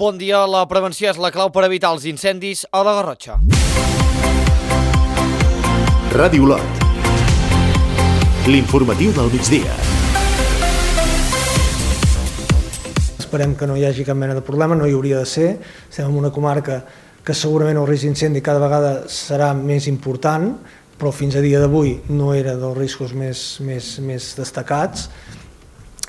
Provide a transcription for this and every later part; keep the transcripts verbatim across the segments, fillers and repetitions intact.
Bon dia, la prevenció és la clau per evitar els incendis a la Garrotxa. Ràdio Olot, l'informatiu del migdia. Esperem que no hi hagi cap mena de problema, no hi hauria de ser. Estem en una comarca que segurament el risc d'incendi cada vegada serà més important, però fins a dia d'avui no era dels riscos més, més, més destacats.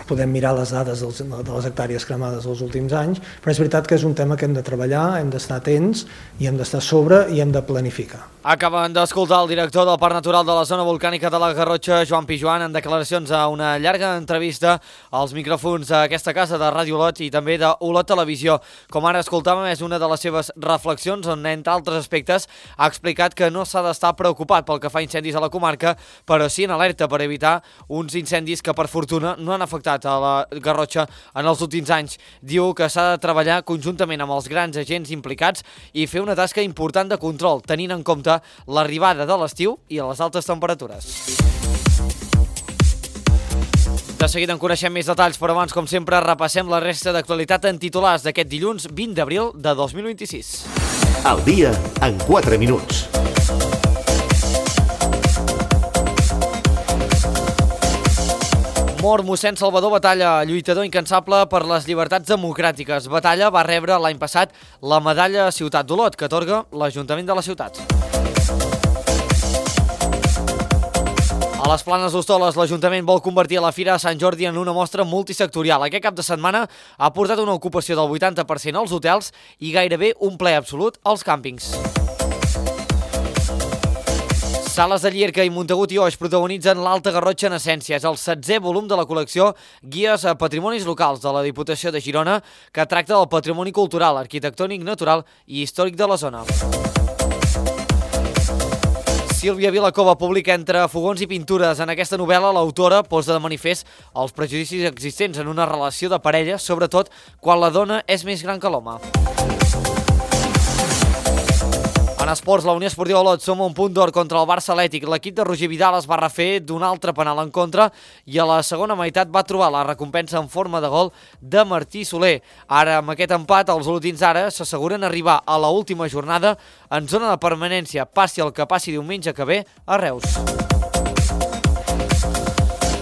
Podem mirar les dades dels, de les hectàrees cremades dels últims anys, però és veritat que és un tema que hem de treballar, hem d'estar atents i hem d'estar a sobre i hem de planificar. Acaben d'escoltar el director del Parc Natural de la Zona Volcànica de la Garrotxa, Joan Pijoan, en declaracions a una llarga entrevista als micròfons d'aquesta casa de Ràdio Olot i també de Olot Televisió. Com ara escoltàvem, és una de les seves reflexions on, entre altres aspectes, ha explicat que no s'ha d'estar preocupat pel que fa a incendis a la comarca, però sí en alerta per evitar uns incendis que, per fortuna, no han afectat a la Garrotxa en els últims anys. Diu que s'ha de treballar conjuntament amb els grans agents implicats i fer una tasca important de control, tenint en compte l'arribada de l'estiu i a les altes temperatures. De seguida en coneixem més detalls, però abans, com sempre, repassem la resta d'actualitat en titulars d'aquest dilluns vint d'abril de dos mil vint-i-sis. El dia en quatre minuts. Mor mossèn Salvador Batalla, lluitador incansable per les llibertats democràtiques. Batalla va rebre l'any passat la medalla Ciutat d'Olot, que atorga l'Ajuntament de la ciutat. A les Planes d'Hostoles, l'Ajuntament vol convertir la Fira de Sant Jordi en una mostra multisectorial. Aquest cap de setmana ha portat una ocupació del vuitanta per cent als hotels i gairebé un ple absolut als càmpings. Sales de Llierca i Montagut i Oix protagonitzen l'Alta Garrotxa en essència. És el setzè volum de la col·lecció Guies a Patrimonis Locals de la Diputació de Girona, que tracta del patrimoni cultural, arquitectònic, natural i històric de la zona. Sílvia Vilacova publica Entre fogons i pintures. En aquesta novel·la, l'autora posa de manifest els prejudicis existents en una relació de parella, sobretot quan la dona és més gran que l'home. En esports, la Unió Esportiva Olot suma un punt d'or contra el Barça Atlètic. L'equip de Roger Vidal es va refer d'un altre penal en contra i a la segona meitat va trobar la recompensa en forma de gol de Martí Soler. Ara, amb aquest empat, els olotins ara s'asseguren arribar a la última jornada en zona de permanència, passi el que passi diumenge que ve a Reus.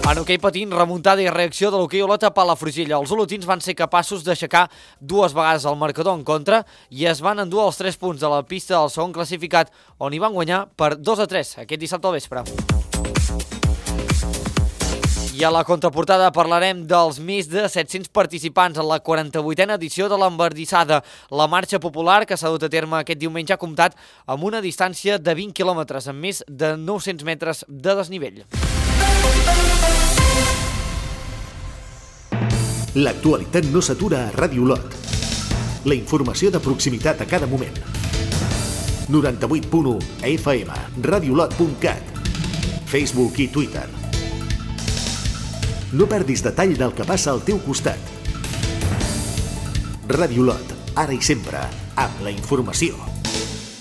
En hoquei patins, remuntada i reacció de l'hoquei Olot a Palafrugell. Els olotins van ser capaços d'aixecar dues vegades el marcador en contra i es van endur els tres punts de la pista del segon classificat, on hi van guanyar per dos a tres aquest dissabte al vespre. I a la contraportada parlarem dels més de set-cents participants en la quaranta-vuitena edició de l'Embardissada. La marxa popular que s'ha dut a terme aquest diumenge ha comptat amb una distància de vint quilòmetres, amb més de nou-cents metres de desnivell. L'actualitat no s'atura a Ràdio Olot. La informació de proximitat a cada moment. noranta-vuit punt u F M, radiolot punt cat, Facebook i Twitter. No perdis detall del que passa al teu costat. Ràdio Olot, ara i sempre, amb la informació.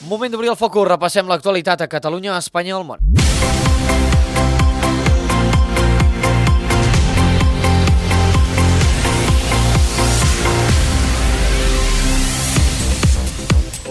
Moment d'obrir el focus, repassem l'actualitat a Catalunya, a Espanya i al món.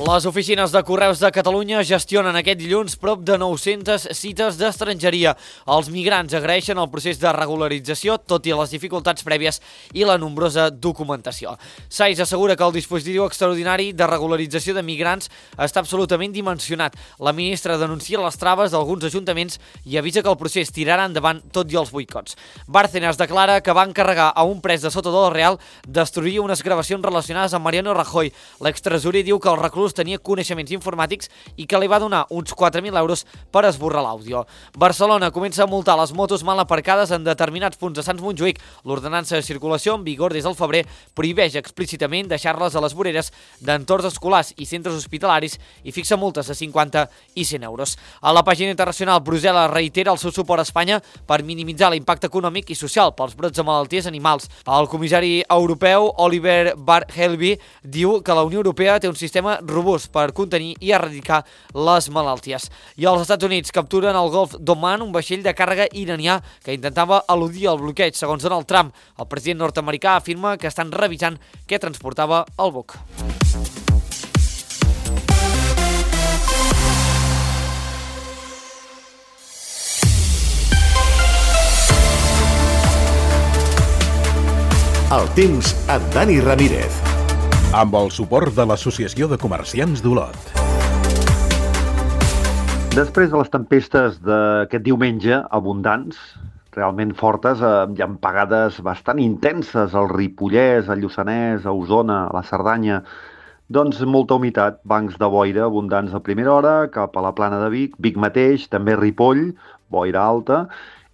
Les oficines de Correus de Catalunya gestionen aquest dilluns prop de nou-centes cites d'estrangeria. Els migrants agraeixen el procés de regularització, tot i les dificultats prèvies i la nombrosa documentació. SAIS assegura que el dispositiu extraordinari de regularització de migrants està absolutament dimensionat. La ministra denuncia les traves d'alguns ajuntaments i avisa que el procés tirarà endavant tot i els boicots. Bárcenas declara que va encarregar a un pres de Soto del Real destruir unes gravacions relacionades amb Mariano Rajoy. L'extresorer diu que el reclús tenia coneixements informàtics i que li va donar uns quatre mil euros per esborrar l'àudio. Barcelona comença a multar les motos mal aparcades en determinats punts de Sants Montjuïc. L'ordenança de circulació, en vigor des del febrer, prohibeix explícitament deixar-les a les voreres d'entorns escolars i centres hospitalaris i fixa multes de cinquanta i cent euros. A la pàgina internacional, Brussel·les reitera el seu suport a Espanya per minimitzar l'impacte econòmic i social pels brots de malalties animals. El comissari europeu Oliver Barhelby diu que la Unió Europea té un sistema robust robust per contenir i erradicar les malalties. I els Estats Units capturen al Golf d'Oman un vaixell de càrrega iranià que intentava eludir el bloqueig, segons Donald Trump. El president nord-americà afirma que estan revisant què transportava el buc. El temps amb Dani Ramírez. Amb el suport de l'Associació de Comerciants d'Olot. Després de les tempestes d'aquest diumenge, abundants, realment fortes, eh, hi ha pagades bastant intenses al Ripollès, al Lluçanès, a Osona, a la Cerdanya. Doncs molta humitat, bancs de boira abundants a primera hora, cap a la plana de Vic, Vic mateix, també Ripoll, boira alta,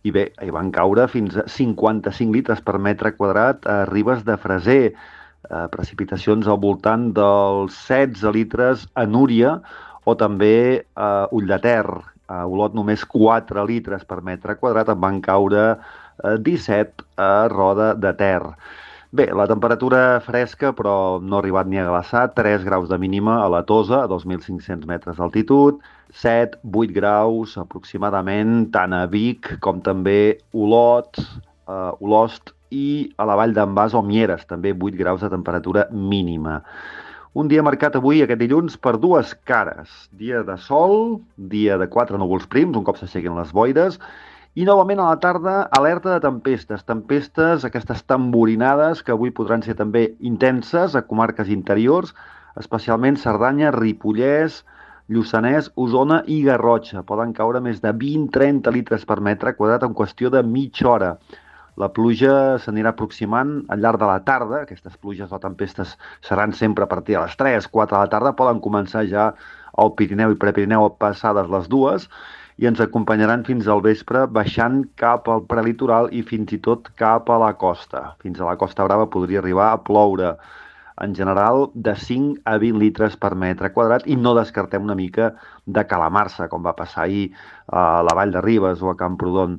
i bé, hi van caure fins a cinquanta-cinc litres per metre quadrat a Ribes de Freser, eh, precipitacions al voltant dels setze litres a Núria o també a Ull de Ter. A Olot només quatre litres per metre quadrat, en van caure eh, disset a Roda de Ter. Bé, la temperatura fresca, però no ha arribat ni a glaçar, tres graus de mínima a la Tosa, a dos mil cinc-cents metres d'altitud, set, vuit graus aproximadament, tant a Vic com també Olot, eh, Olost i a la Vall d'en Bas o Mieres, també vuit graus de temperatura mínima. Un dia marcat avui, aquest dilluns, per dues cares. Dia de sol, dia de quatre núvols prims, un cop s'aixequen les boires, i novament a la tarda, alerta de tempestes. Tempestes, aquestes tamborinades, que avui podran ser també intenses a comarques interiors, especialment Cerdanya, Ripollès, Lluçanès, Osona i Garrotxa. Poden caure més de vint a trenta litres per metre quadrat en qüestió de mitja hora. La pluja s'anirà aproximant al llarg de la tarda. Aquestes pluges o tempestes seran sempre a partir de les tres, quatre de la tarda. Poden començar ja al Pirineu i Prepirineu passades les dues i ens acompanyaran fins al vespre baixant cap al prelitoral i fins i tot cap a la costa. Fins a la Costa Brava podria arribar a ploure. En general, de cinc a vint litres per metre quadrat i no descartem una mica de calamarsa, com va passar ahir a la Vall de Ribes o a Camprodon.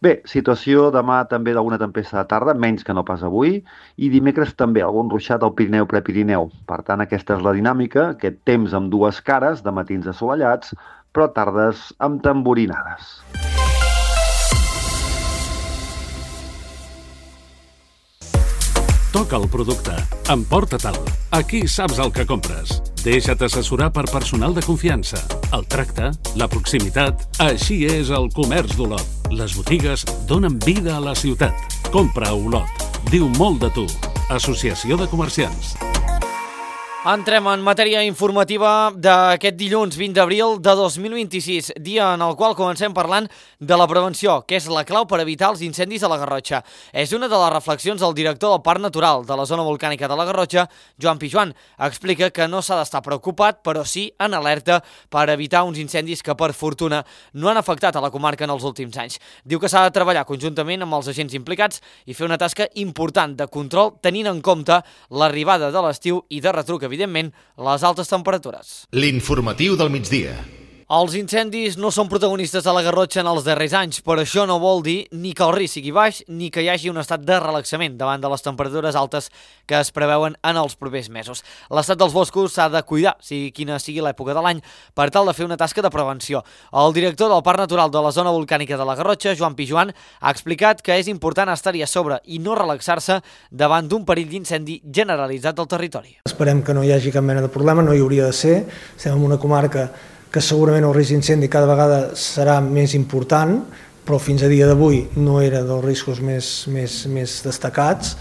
Bé, situació demà també d'alguna tempesta de tarda, menys que no pas avui, i dimecres també algun ruixat al Pirineu-Prepirineu. Per tant, aquesta és la dinàmica, aquest temps amb dues cares, de matins assolellats, però tardes amb tamborinades. Toca el producte. Emporta-te'l. Aquí saps el que compres. Deixa't assessorar per personal de confiança. El tracte, la proximitat... Així és el comerç d'Olot. Les botigues donen vida a la ciutat. Compra a Olot. Diu molt de tu. Associació de Comerciants. Entrem en matèria informativa d'aquest dilluns vint d'abril de dos mil vint-i-sis, dia en el qual comencem parlant de la prevenció, que és la clau per evitar els incendis a la Garrotxa. És una de les reflexions del director del Parc Natural de la Zona Volcànica de la Garrotxa, Joan Pijuan. Explica que no s'ha d'estar preocupat, però sí en alerta per evitar uns incendis que, per fortuna, no han afectat a la comarca en els últims anys. Diu que s'ha de treballar conjuntament amb els agents implicats i fer una tasca important de control, tenint en compte l'arribada de l'estiu i de retruc, evidentment, les altes temperatures. L'informatiu del migdia. Els incendis no són protagonistes a la Garrotxa en els darrers anys, però això no vol dir ni que el risc sigui baix ni que hi hagi un estat de relaxament davant de les temperatures altes que es preveuen en els propers mesos. L'estat dels boscos s'ha de cuidar, sigui quina sigui l'època de l'any, per tal de fer una tasca de prevenció. El director del Parc Natural de la Zona Volcànica de la Garrotxa, Joan Pijuan, ha explicat que és important estar-hi a sobre i no relaxar-se davant d'un perill d'incendi generalitzat del territori. Esperem que no hi hagi cap mena de problema, no hi hauria de ser. Estem en una comarca que segurament el risc d'incendi cada vegada serà més important, però fins a dia d'avui no era dels riscos més, més, més destacats.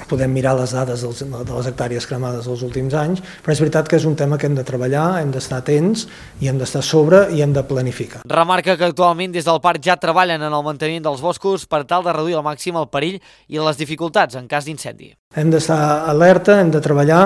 Podem mirar les dades dels, de les hectàrees cremades dels últims anys, però és veritat que és un tema que hem de treballar, hem d'estar atents i hem d'estar a sobre i hem de planificar. Remarca que actualment des del parc ja treballen en el manteniment dels boscos per tal de reduir al màxim el perill i les dificultats en cas d'incendi. Hem d'estar alerta, hem de treballar.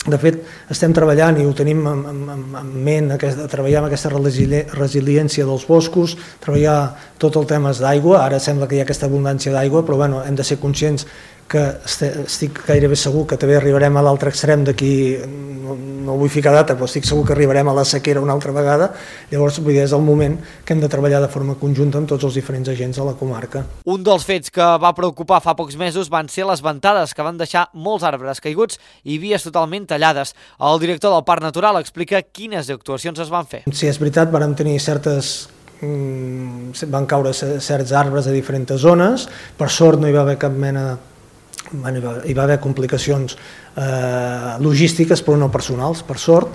De fet, estem treballant i ho tenim en, en, en ment, aquest, treballar amb aquesta resiliència dels boscos, treballar tot el tema d'aigua. Ara sembla que hi ha aquesta abundància d'aigua, però bueno, hem de ser conscients que estic gairebé segur que també arribarem a l'altre extrem d'aquí no vull ficar data, però estic segur que arribarem a la sequera una altra vegada, llavors vull dir, és el moment que hem de treballar de forma conjunta amb tots els diferents agents de la comarca. Un dels fets que va preocupar fa pocs mesos van ser les ventades que van deixar molts arbres caiguts i vies totalment tallades. El director del Parc Natural explica quines actuacions es van fer. Sí, és veritat, vam tenir certes... van caure certs arbres a diferents zones, per sort no hi va haver cap mena de... hi va haver complicacions eh, logístiques però no personals, per sort.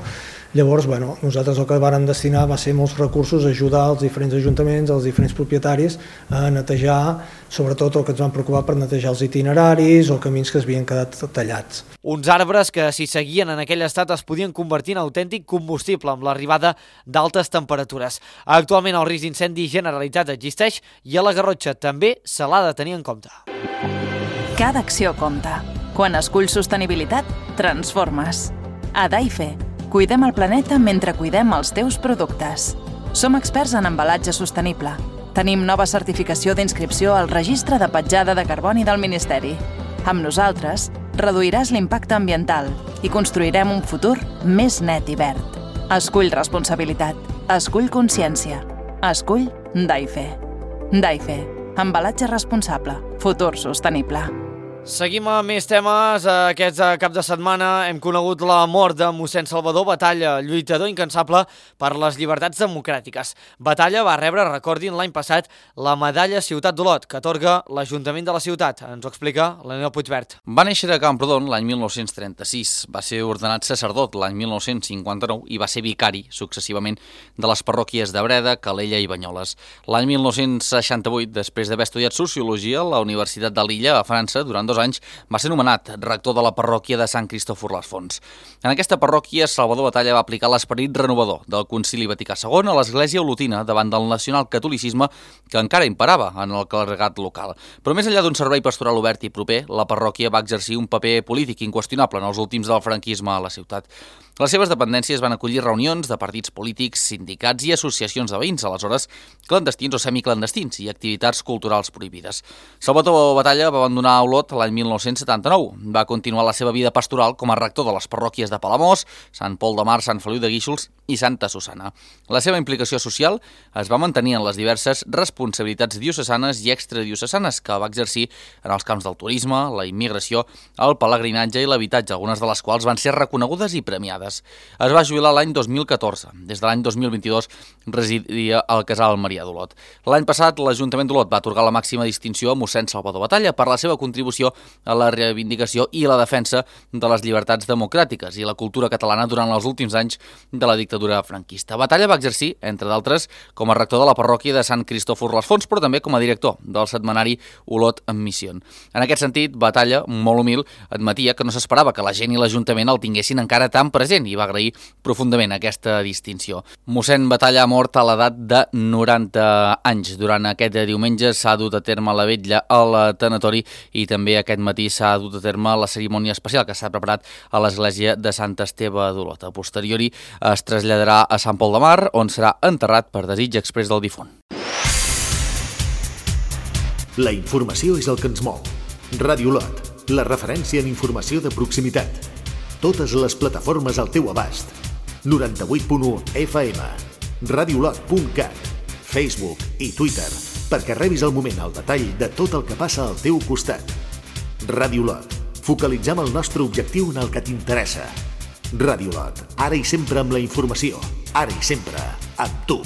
Llavors, bueno, nosaltres el que vàrem destinar va ser molts recursos a ajudar els diferents ajuntaments, els diferents propietaris a netejar, sobretot el que ens van preocupar per netejar els itineraris o camins que es havien quedat tallats. Uns arbres que, si seguien en aquell estat, es podien convertir en autèntic combustible amb l'arribada d'altes temperatures. Actualment el risc d'incendi generalitzat existeix i a la Garrotxa també se l'ha de tenir en compte. Cada acció compta. Quan esculls sostenibilitat, transformes. A Daife, cuidem el planeta mentre cuidem els teus productes. Som experts en embalatge sostenible. Tenim nova certificació d'inscripció al Registre de Petjada de Carboni del Ministeri. Amb nosaltres, reduiràs l'impacte ambiental i construirem un futur més net i verd. Escull responsabilitat. Escull consciència. Escull Daife. Daife. Embalatge responsable. Futur sostenible. Seguim amb més temes. Aquest cap de setmana hem conegut la mort de mossèn Salvador Batalla, lluitador incansable per les llibertats democràtiques. Batalla va rebre, recordin, l'any passat la medalla Ciutat d'Olot, que atorga l'Ajuntament de la ciutat. Ens ho explica l'Anel Puigvert. Va néixer a Camprodon l'any mil nou-cents trenta-sis. Va ser ordenat sacerdot l'any mil nou-cents cinquanta-nou i va ser vicari, successivament, de les parròquies de Breda, Calella i Banyoles. L'any mil nou-cents seixanta-vuit, després d'haver estudiat Sociologia a la Universitat de Lilla, a França, durant dos anys, va ser nomenat rector de la parròquia de Sant Cristòfor les Fonts. En aquesta parròquia, Salvador Batalla va aplicar l'esperit renovador del Concili Vaticà segon a l'Església Olotina davant del nacionalcatolicisme que encara imperava en el clergat local. Però més enllà d'un servei pastoral obert i proper, la parròquia va exercir un paper polític inqüestionable en els últims del franquisme a la ciutat. Les seves dependències van acollir reunions de partits polítics, sindicats i associacions de veïns, aleshores clandestins o semiclandestins, i activitats culturals prohibides. Salvador Batalla va abandonar Olot l'any mil nou-cents setanta-nou. Va continuar la seva vida pastoral com a rector de les parròquies de Palamós, Sant Pol de Mar, Sant Feliu de Guíxols i Santa Susanna. La seva implicació social es va mantenir en les diverses responsabilitats diocesanes i extradiocesanes que va exercir en els camps del turisme, la immigració, el pelegrinatge i l'habitatge, algunes de les quals van ser reconegudes i premiades. Es va jubilar l'any dos mil catorze. Des de l'any dos mil vint-i-dos residia al Casal Marià d'Olot. L'any passat, l'Ajuntament d'Olot va atorgar la màxima distinció a mossèn Salvador Batalla per la seva contribució a la reivindicació i la defensa de les llibertats democràtiques i la cultura catalana durant els últims anys de la dictadura franquista. Batalla va exercir, entre d'altres, com a rector de la parròquia de Sant Cristòfor les Fonts, però també com a director del setmanari Olot en Missió. En aquest sentit, Batalla, molt humil, admetia que no s'esperava que la gent i l'Ajuntament el tinguessin encara tan present i va agrair profundament aquesta distinció. Mossèn Batalla ha mort a l'edat de noranta anys. Durant aquest diumenge s'ha dut a terme la vetlla al tanatori i també aquest matí s'ha dut a terme la cerimònia especial que s'ha preparat a l'església de Sant Esteve d'Olot. A posteriori es traslladarà a Sant Pol de Mar, on serà enterrat per desig exprés del difunt. La informació és el que ens mou. Ràdio Olot, la referència en informació de proximitat. Totes les plataformes al teu abast. noranta-vuit punt u F M, radiolot punt cat, Facebook i Twitter, perquè rebis al moment el detall de tot el que passa al teu costat. Ràdio Olot, focalitzem el nostre objectiu en el que t'interessa. Ràdio Olot, ara i sempre amb la informació, ara i sempre amb tu.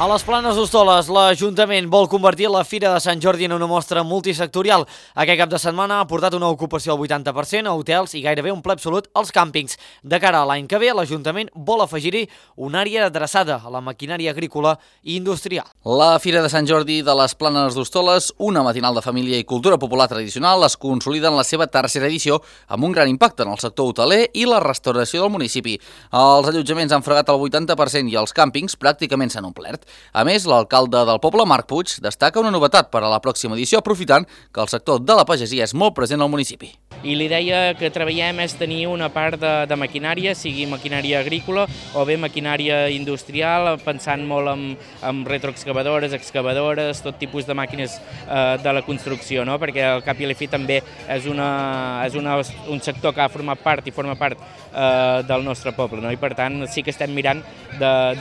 A les Planes d'Hostoles, l'Ajuntament vol convertir la Fira de Sant Jordi en una mostra multisectorial. Aquest cap de setmana ha portat una ocupació al vuitanta per cent a hotels i gairebé un ple absolut als càmpings. De cara a l'any que ve, l'Ajuntament vol afegir-hi una àrea adreçada a la maquinària agrícola i industrial. La Fira de Sant Jordi de les Planes d'Hostoles, una matinal de família i cultura popular tradicional, es consolida en la seva tercera edició amb un gran impacte en el sector hoteler i la restauració del municipi. Els allotjaments han fregat el vuitanta per cent i els càmpings pràcticament s'han omplert. A més, l'alcalde del poble, Marc Puig, destaca una novetat per a la pròxima edició, aprofitant que el sector de la pagesia és molt present al municipi. I l'idea que treballem és tenir una part de, de maquinària, sigui maquinària agrícola o bé maquinària industrial, pensant molt en, en retroexcavadores, excavadores, tot tipus de màquines eh, de la construcció, no? Perquè al cap i a la fi també és, una, és una, un sector que ha format part i forma part eh, del nostre poble, no? I per tant sí que estem mirant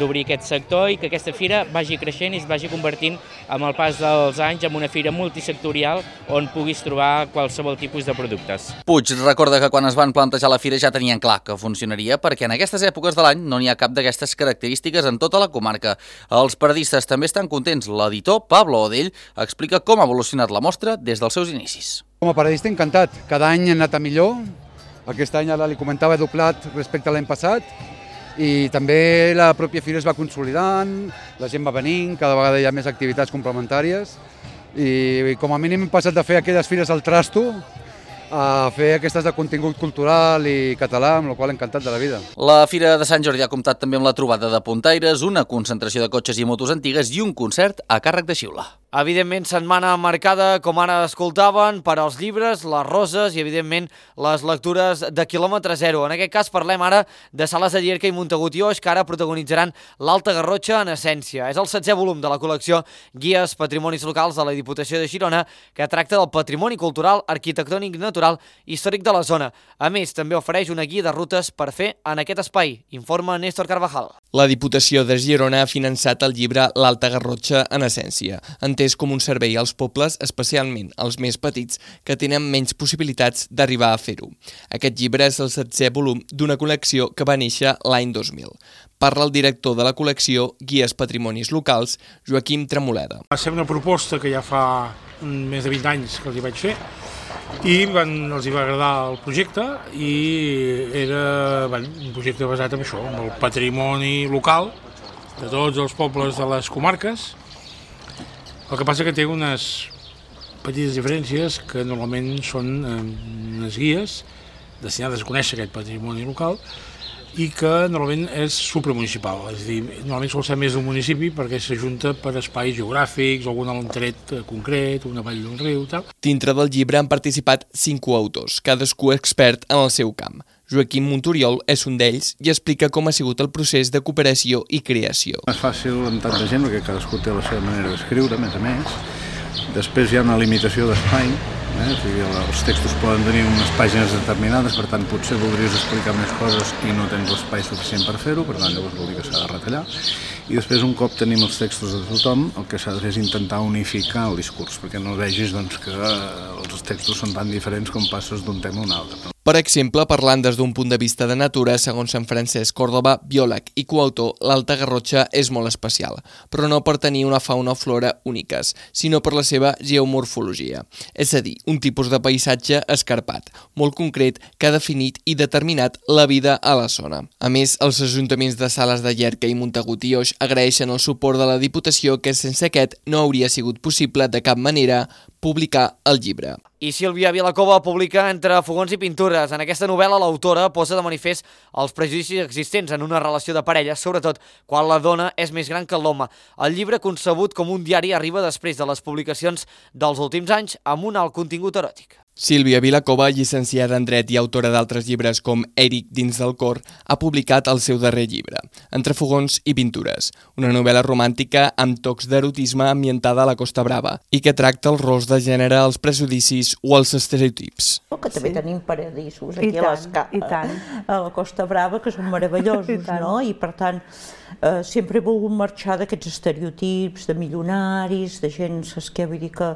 d'obrir aquest sector i que aquesta fira vagi creixent i es vagi convertint amb el pas dels anys en una fira multisectorial on puguis trobar qualsevol tipus de productes. Puig recorda que quan es van plantejar la fira ja tenien clar que funcionaria perquè en aquestes èpoques de l'any no n'hi ha cap d'aquestes característiques en tota la comarca. Els paradistes també estan contents. L'editor, Pablo Odell, explica com ha evolucionat la mostra des dels seus inicis. Com a paradista encantat. Cada any ha anat a millor. Aquest any, ara li comentava, he doblat respecte a l'any passat. I també la pròpia fira es va consolidant, la gent va venint, cada vegada hi ha més activitats complementàries i com a mínim hem passat de fer aquelles fires al trasto a fer aquestes de contingut cultural i català, amb la qual encantat de la vida. La Fira de Sant Jordi ha comptat també amb la trobada de puntaires, una concentració de cotxes i motos antigues i un concert a càrrec de xiula. Evidentment, setmana marcada, com ara escoltaven, per als llibres, les roses i, evidentment, les lectures de quilòmetre zero. En aquest cas parlem ara de Sales de Llierca i Montagut i Oix, que ara protagonitzaran l'Alta Garrotxa en essència. És el setzè volum de la col·lecció Guies Patrimonis Locals de la Diputació de Girona, que tracta del patrimoni cultural, arquitectònic natural i històric de la zona. A més, també ofereix una guia de rutes per fer en aquest espai, informa Néstor Carvajal. La Diputació de Girona ha finançat el llibre L'Alta Garrotxa en essència, entès com un servei als pobles, especialment als més petits, que tenen menys possibilitats d'arribar a fer-ho. Aquest llibre és el setzè volum d'una col·lecció que va néixer l'any dos mil. Parla el director de la col·lecció Guies Patrimonis Locals, Joaquim Tremoleda. Va ser una proposta que ja fa més de vint anys que els hi vaig fer i van, els hi va agradar el projecte i era bueno, un projecte basat en això, en el patrimoni local de tots els pobles de les comarques. El que passa que té unes petites diferències que normalment són unes guies destinades a conèixer aquest patrimoni local i que normalment és supramunicipal, és a dir, normalment sol ser més d'un municipi perquè s'ajunta per espais geogràfics, algun tret concret, una vall d'un riu, tal. Dintre del llibre han participat cinc coautors, cadascú expert en el seu camp. Joaquim Montoriol és un d'ells i explica com ha sigut el procés de cooperació i creació. No és fàcil amb tanta gent perquè cadascú té la seva manera d'escriure, a més a més. Després hi ha una limitació d'espai, eh? O sigui, els textos poden tenir unes pàgines determinades, per tant potser voldries explicar més coses i no tens l'espai suficient per fer-ho, per tant llavors vol dir que s'ha de retallar. I després un cop tenim els textos de tothom, el que s'ha de fer és intentar unificar el discurs, perquè no vegis doncs, que els textos són tan diferents com passes d'un tema a un altre. Per exemple, parlant des d'un punt de vista de natura, segons Sant Francesc Còrdova, biòleg i coautor, l'Alta Garrotxa és molt especial, però no per tenir una fauna o flora úniques, sinó per la seva geomorfologia, és a dir, un tipus de paisatge escarpat, molt concret, que ha definit i determinat la vida a la zona. A més, els ajuntaments de Sales de Llierca i Montagut i Oix agraeixen el suport de la Diputació, que sense aquest no hauria sigut possible de cap manera publicar el llibre. I Sílvia Vilacova publica Entre fogons i pintures. En aquesta novel·la l'autora posa de manifest els prejudicis existents en una relació de parella, sobretot quan la dona és més gran que l'home. El llibre, concebut com un diari, arriba després de les publicacions dels últims anys amb un alt contingut eròtic. Sílvia Vilacova, llicenciada en Dret i autora d'altres llibres com Eric dins del cor, ha publicat el seu darrer llibre, Entre fogons i pintures, una novel·la romàntica amb tocs d'erotisme ambientada a la Costa Brava i que tracta els rols de gènere, els prejudicis o els estereotips. Que també sí. Tenim paradissos aquí a, les, a la Costa Brava que són meravellosos, I no? I per tant eh, sempre he volgut marxar d'aquests estereotips de milionaris, de gent, saps què vull dir que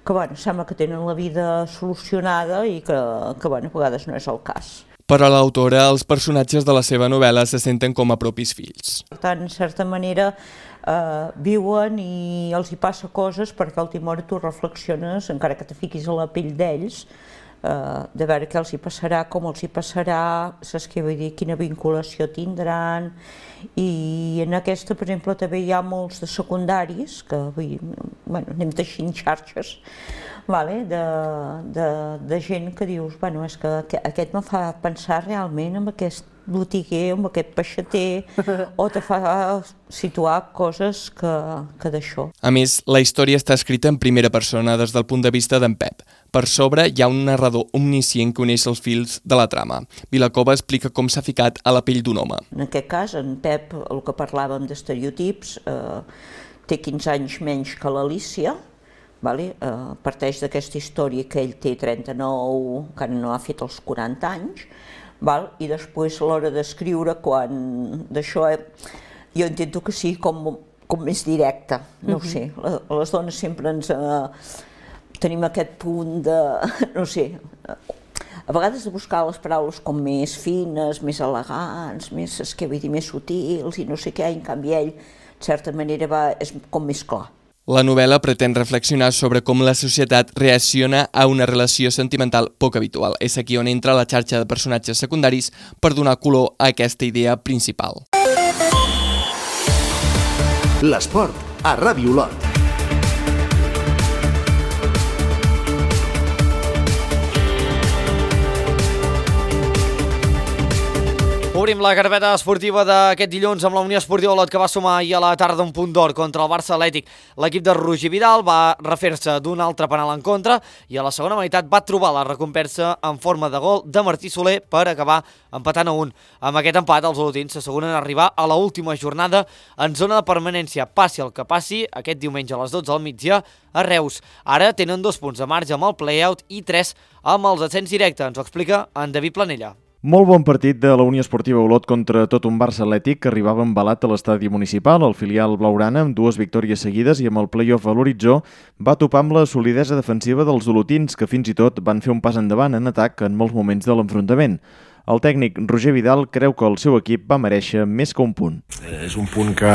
que bueno, sembla que tenen la vida solucionada i que, que bueno, a vegades no és el cas. Per a l'autora, els personatges de la seva novel·la se senten com a propis fills. Per tant, en certa manera, eh, viuen i els hi passa coses perquè al timor tu reflexiones, encara que te fiquis a la pell d'ells, eh, de veure què els hi passarà, com els hi passarà, saps què vull dir, quina vinculació tindran. I en aquesta, per exemple, també hi ha molts de secundaris, que vull dir, bueno, anem teixint xarxes, vale? de, de, de gent que dius, bueno, és que aquest me fa pensar realment en aquest botiguer, amb aquest peixater, o te fa situar coses que, que d'això. A més, la història està escrita en primera persona des del punt de vista d'en Pep. Per sobre hi ha un narrador omniscient que uneix els fils de la trama. Vilacova explica com s'ha ficat a la pell d'un home. En aquest cas, en Pep, el que parlàvem d'estereotips, eh, té quinze anys menys que l'Alícia, vale? eh, parteix d'aquesta història que ell té trenta-nou, encara no ha fet els quaranta anys, val? I després a l'hora d'escriure, quan d'això, eh, jo intento que sigui com, com més directe, no ho sé, les dones sempre ens... Eh, tenim aquest punt de, no sé, a vegades de buscar les paraules com més fines, més elegants, més, és que vull dir, més sutils i no sé què, en canvi ell, de certa manera, va, és com més clar. La novel·la pretén reflexionar sobre com la societat reacciona a una relació sentimental poc habitual. És aquí on entra la xarxa de personatges secundaris per donar color a aquesta idea principal. L'esport a Ràdio Olot. Obrim la carpeta esportiva d'aquest dilluns amb la Unió Esportiva Olot, que va sumar ahir a la tarda un punt d'or contra el Barça Atlètic. L'equip de Roger Vidal va refer-se d'un altre penal en contra i a la segona meitat va trobar la recompensa en forma de gol de Martí Soler per acabar empatant a un. Amb aquest empat, els olotins s'asseguren a arribar a l'última jornada en zona de permanència. Passi el que passi, aquest diumenge a les dotze del migdia a Reus. Ara tenen dos punts de marge amb el play-out i tres amb els ascens directe. Ens ho explica en David Planella. Molt bon partit de la Unió Esportiva Olot contra tot un Barça Atlètic que arribava embalat a l'estadi municipal. El filial blaugrana, amb dues victòries seguides i amb el play-off a l'horitzó, va topar amb la solidesa defensiva dels olotins, que fins i tot van fer un pas endavant en atac en molts moments de l'enfrontament. El tècnic Roger Vidal creu que el seu equip va merèixer més que un punt. És un punt que,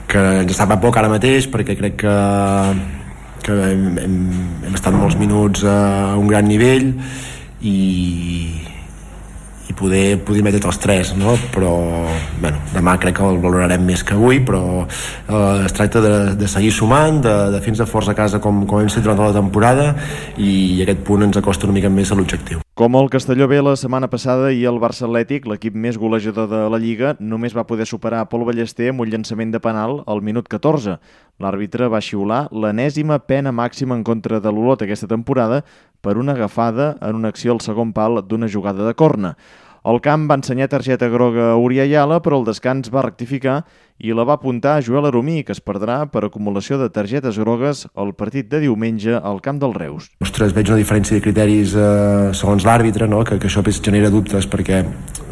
que ens sap a poc ara mateix, perquè crec que, que hem, hem, hem estat molts minuts a un gran nivell i, i poder, poder metre els tres, no? Però bueno, demà crec que el valorarem més que avui, però eh, es tracta de, de seguir sumant, de, de fins a força a casa com, com hem fet durant tota la temporada, i aquest punt ens acosta una mica més a l'objectiu. Com el Castelló B la setmana passada i el Barça Atlètic, l'equip més golejador de la Lliga, només va poder superar Pol Ballester amb un llançament de penal al minut catorze. L'àrbitre va xiular l'enèsima pena màxima en contra de l'Olot aquesta temporada per una agafada en una acció al segon pal d'una jugada de corna. El camp va ensenyar targeta groga a Uri Ayala, però el descans va rectificar i la va apuntar a Joel Aromí, que es perdrà per acumulació de targetes grogues al partit de diumenge al camp del Reus. Ostres, veig una diferència de criteris eh, segons l'àrbitre, no? que, que això genera dubtes, perquè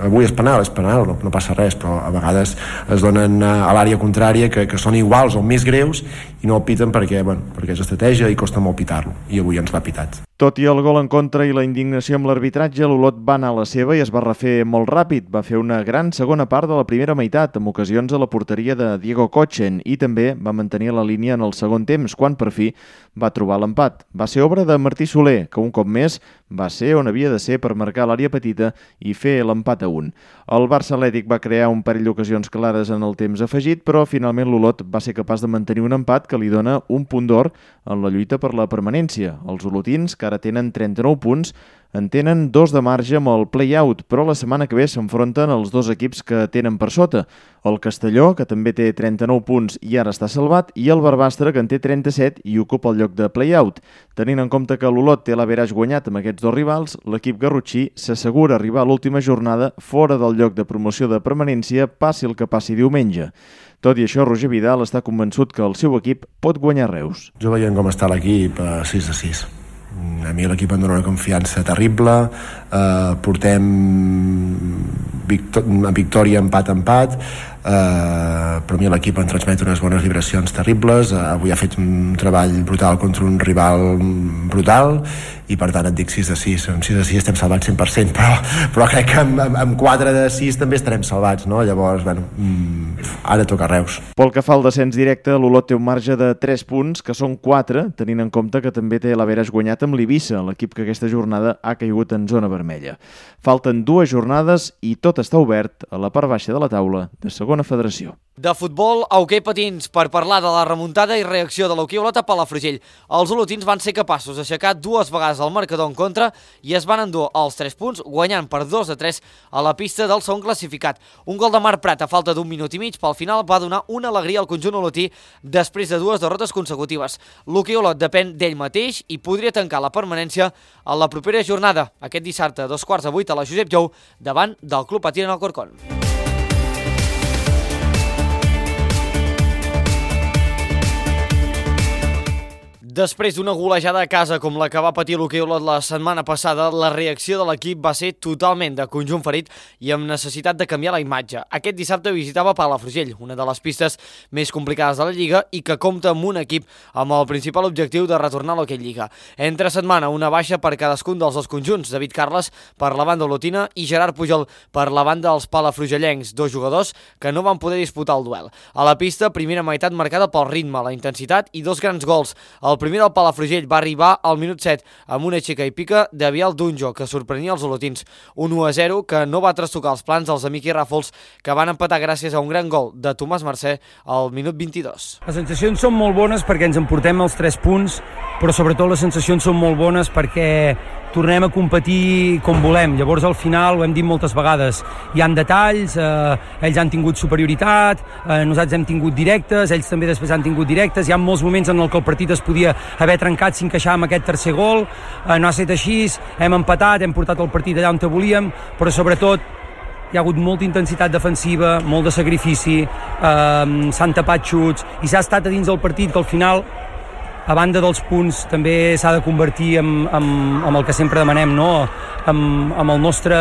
avui és penal, és penal, no, no passa res, però a vegades es donen a l'àrea contrària que, que són iguals o més greus i no el piten perquè, bueno, perquè és estratègia i costa molt pitar-lo, i avui ens l'ha pitat. Tot i el gol en contra i la indignació amb l'arbitratge, l'Olot va anar a la seva i es va refer molt ràpid. Va fer una gran segona part de la primera meitat, amb ocasions a la porteria de Diego Kochen, i també va mantenir la línia en el segon temps, quan per fi va trobar l'empat. Va ser obra de Martí Soler, que un cop més va ser on havia de ser per marcar l'àrea petita i fer l'empat a un. El Barça Atlètic va crear un parell d'ocasions clares en el temps afegit, però finalment l'Olot va ser capaç de mantenir un empat que li dona un punt d'or en la lluita per la permanència. Els olotins, que ara tenen trenta-nou punts, en tenen dos de marge amb el play-out, però la setmana que ve s'enfronten els dos equips que tenen per sota. El Castelló, que també té trenta-nou punts i ara està salvat, i el Barbastre, que en té trenta-set i ocupa el lloc de play-out. Tenint en compte que l'Olot té l'averaix guanyat amb aquests dos rivals, l'equip garrotxí s'assegura arribar a l'última jornada fora del lloc de promoció de permanència, passi el que passi diumenge. Tot i això, Roger Vidal està convençut que el seu equip pot guanyar Reus. Jo veient com està l'equip, sis a sis. A mi l'equip em dona una confiança terrible, eh, portem victò- victòria empat-empat, eh, però a mi l'equip em transmet unes bones vibracions terribles. Eh, avui ha fet un treball brutal contra un rival brutal i per tant et dic sis de sis. En sis de sis estem salvats cent per cent, però, però crec que amb, amb, amb quatre de sis també estarem salvats, no? Llavors, bueno, ara toca Reus. Pel que fa al descens directe, l'Olot té un marge de tres punts, que són quatre, tenint en compte que també té l'averaix guanyat amb l'Eivissa, l'equip que aquesta jornada ha caigut en zona vermella. Falten dues jornades i tot està obert a la part baixa de la taula de segon segona federació. De futbol a hoquei patins per parlar de la remuntada i reacció de l'hoquei Olot a Palafrugell. Els olotins van ser capaços d'aixecar dues vegades el marcador en contra i es van endur els tres punts, guanyant per dos a tres a la pista del segon classificat. Un gol de Marc Prat a falta d'un minut i mig pel final va donar una alegria al conjunt olotí després de dues derrotes consecutives. L'hoquei Olot depèn d'ell mateix i podria tancar la permanència a la propera jornada, aquest dissabte a dos quarts de vuit a la Josep Jou, davant del Club Patí en Alcorcón. Després d'una golejada a casa com la que va patir l'hoquei Olot la setmana passada, la reacció de l'equip va ser totalment de conjunt ferit i amb necessitat de canviar la imatge. Aquest dissabte visitava Palafrugell, una de les pistes més complicades de la Lliga i que compta amb un equip amb el principal objectiu de retornar a l'hoquei Lliga. Entre setmana, una baixa per cadascun dels dos conjunts, David Carles per la banda olotina i Gerard Pujol per la banda dels palafrugellencs, dos jugadors que no van poder disputar el duel. A la pista, primera meitat marcada pel ritme, la intensitat i dos grans gols. El El primer del Palafrugell va arribar al minut set amb una aixeca i pica de Biel Dunjo, que sorprenia els olotins. Un u a zero que no va trastocar els plans dels Amic i Ràfols, que van empatar gràcies a un gran gol de Tomàs Mercè al minut vint-i-dos. Les sensacions són molt bones perquè ens emportem els tres punts, però sobretot les sensacions són molt bones perquè tornem a competir com volem. Llavors, al final, ho hem dit moltes vegades, hi ha detalls, eh, ells han tingut superioritat, eh, nosaltres hem tingut directes, ells també després han tingut directes, hi ha molts moments en el que el partit es podia haver trencat si encaixàvem aquest tercer gol, eh, no ha estat així, hem empatat, hem portat el partit allà on volíem, però sobretot hi ha hagut molta intensitat defensiva, molt de sacrifici, eh, s'han tapat xuts i s'ha estat a dins del partit que al final, a banda dels punts, també s'ha de convertir en, en, en el que sempre demanem, no? en, en el nostre...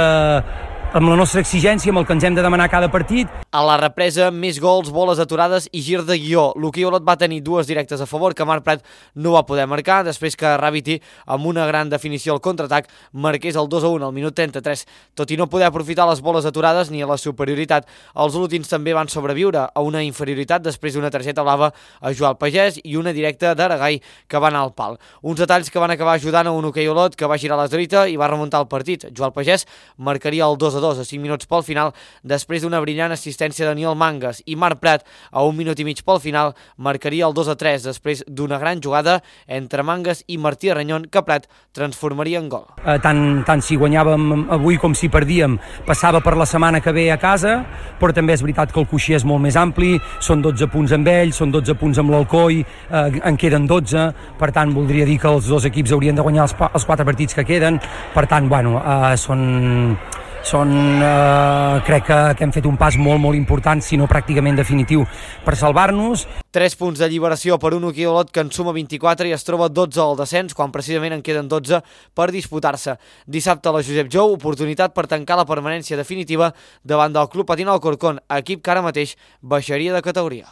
amb la nostra exigència, amb el que ens hem de demanar cada partit. A la represa, més gols, boles aturades i gir de guió. L'hoquei Olot va tenir dues directes a favor que Marc Prat no va poder marcar, després que Rabiti, amb una gran definició al contraatac, marqués el dos a un al minut trenta-tres. Tot i no poder aprofitar les boles aturades ni a la superioritat, els olotins també van sobreviure a una inferioritat després d'una targeta blava a Joan Pagès i una directa d'Aragai que va anar al pal. Uns detalls que van acabar ajudant a un hoquei Olot que va girar la dreta i va remuntar el partit. Joan Pagès marcaria el dos a dos a cinc minuts pel final després d'una brillant assistència de Daniel Mangas i Marc Prat a un minut i mig pel final marcaria el dos a tres després d'una gran jugada entre Mangas i Martí Arranyon que Prat transformaria en gol. Eh, tant, tant si guanyàvem avui com si perdíem passava per la setmana que ve a casa, però també és veritat que el coixí és molt més ampli, són dotze punts amb ells, són dotze punts amb l'Alcoi, eh, en queden dotze, per tant voldria dir que els dos equips haurien de guanyar els, els quatre partits que queden, per tant, bueno, eh, són... Són, eh, crec que, que hem fet un pas molt, molt important, si no pràcticament definitiu, per salvar-nos. Tres punts d'alliberació per un hoquei Olot que en suma vint-i-quatre i es troba dotze al descens, quan precisament en queden dotze per disputar-se. Dissabte a la Josep Jou, oportunitat per tancar la permanència definitiva davant del Club Patí Alcorcón, equip que ara mateix baixaria de categoria.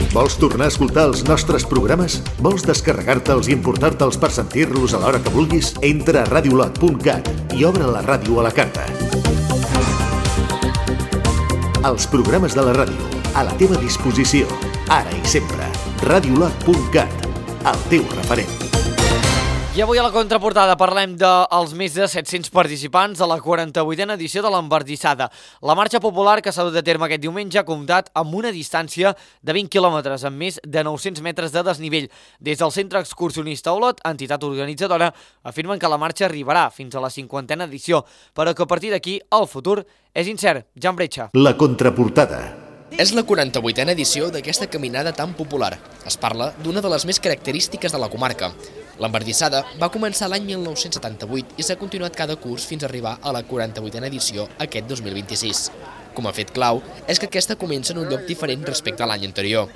Vols tornar a escoltar els nostres programes? Vols descarregar-te'ls i importar-te'ls per sentir-los a l'hora que vulguis? Entra a radiolot punt cat i obre la ràdio a la carta. Els programes de la ràdio, a la teva disposició, ara i sempre. radiolot punt cat, el teu referent. I avui a la contraportada parlem dels més de set-cents participants de la quaranta-vuitena edició de l'Embardissada. La marxa popular que s'ha dut a terme aquest diumenge ha comptat amb una distància de vint quilòmetres, amb més de nou-cents metres de desnivell. Des del Centre Excursionista Olot, entitat organitzadora, afirmen que la marxa arribarà fins a la cinquantena edició, però que a partir d'aquí el futur és incert. Jan Bretxa. La contraportada. És la quaranta-vuitena edició d'aquesta caminada tan popular. Es parla d'una de les més característiques de la comarca. L'Embardissada va començar l'any mil nou-cents setanta-vuit i s'ha continuat cada curs fins a arribar a la quaranta-vuitena edició aquest dos mil vint-i-sis. Com a fet clau és que aquesta comença en un lloc diferent respecte a l'any anterior.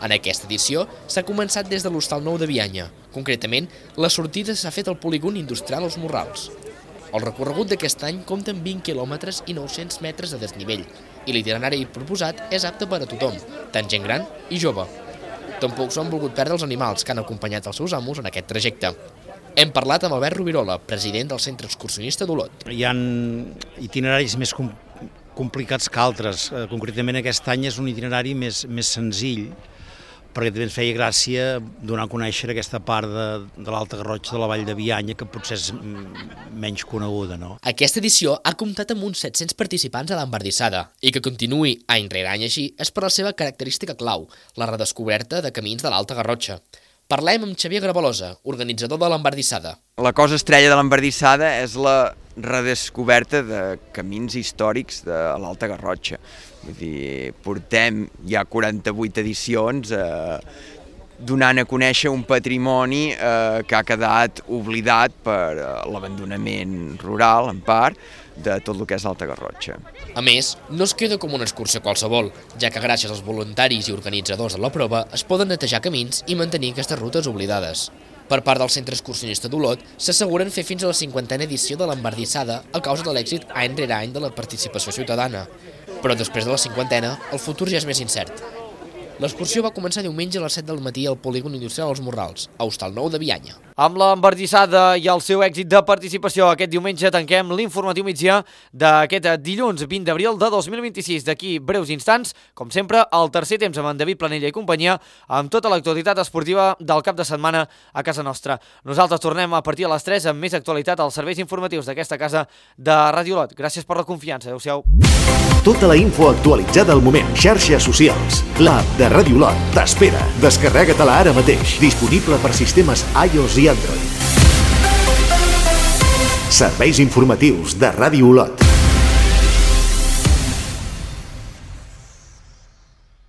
En aquesta edició s'ha començat des de l'Hostal Nou de Bianya. Concretament, la sortida s'ha fet al polígon industrial Els Morrals. El recorregut d'aquest any compta amb vint quilòmetres i nou-cents metres de desnivell i l'itinerari proposat és apte per a tothom, tant gent gran i jove. Tampoc s'ho han volgut perdre els animals que han acompanyat els seus amos en aquest trajecte. Hem parlat amb Albert Rubirola, president del Centre Excursionista d'Olot. Hi ha itineraris més com complicats que altres. Concretament aquest any és un itinerari més, més senzill, perquè també ens feia gràcia donar a conèixer aquesta part de, de l'Alta Garrotxa, de la Vall de Bianya, que potser és menys coneguda, no? Aquesta edició ha comptat amb uns set-cents participants a l'embardissada i que continuï any rere any així és per la seva característica clau, la redescoberta de camins de l'Alta Garrotxa. Parlem amb Xavier Gravalosa, organitzador de l'embardissada. La cosa estrella de l'embardissada és la redescoberta de camins històrics de l'Alta Garrotxa. Vull dir, portem ja quaranta-vuit edicions eh, donant a conèixer un patrimoni eh, que ha quedat oblidat per eh, l'abandonament rural, en part, de tot el que és l'Alta Garrotxa. A més, no es queda com una excursió qualsevol, ja que gràcies als voluntaris i organitzadors de la prova es poden netejar camins i mantenir aquestes rutes oblidades. Per part del Centre Excursionista d'Olot, s'asseguren fer fins a la cinquantena edició de l'embardissada a causa de l'èxit any rere any de la participació ciutadana. Però després de la cinquantena, el futur ja és més incert. L'excursió va començar diumenge a les set del matí al polígon industrial Els Morrals, a Hostal Nou de Bianya. Amb l'embardissada i el seu èxit de participació aquest diumenge tanquem l'informatiu migdia d'aquest dilluns vint d'abril de dos mil vint-i-sis. D'aquí breus instants, com sempre, el tercer temps amb en David Planella i companyia, amb tota l'actualitat esportiva del cap de setmana a casa nostra. Nosaltres tornem a partir de les tres amb més actualitat als serveis informatius d'aquesta casa de Ràdio Olot. Gràcies per la confiança. Adéu-siau. Tota la info actualitzada al moment. Xarxes socials. L'app de Ràdio Olot t'espera. Descarrega-te-la ara mateix. Disponible per sistemes iOS i Android. Serveis informatius de Ràdio Olot.